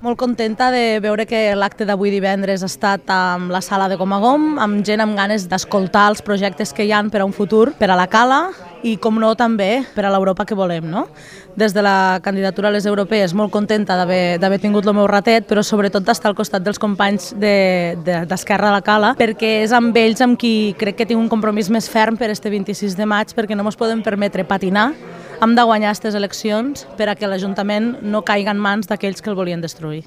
Molt contenta de veure que l'acte d'avui divendres ha estat amb la sala de Comagom, amb gent amb ganes d'escoltar els projectes que hi ha per a un futur, per a la Cala i, com no, també per a l'Europa que volem, no? Des de la candidatura a les europees, molt contenta d'haver tingut el meu ratet, però sobretot d'estar al costat dels companys d'Esquerra de la Cala, perquè és amb ells amb qui crec que tinc un compromís més ferm per este 26 de maig, perquè no ens podem permetre patinar. Hem de guanyar aquestes eleccions per a que l'Ajuntament no caigui en mans d'aquells que el volien destruir.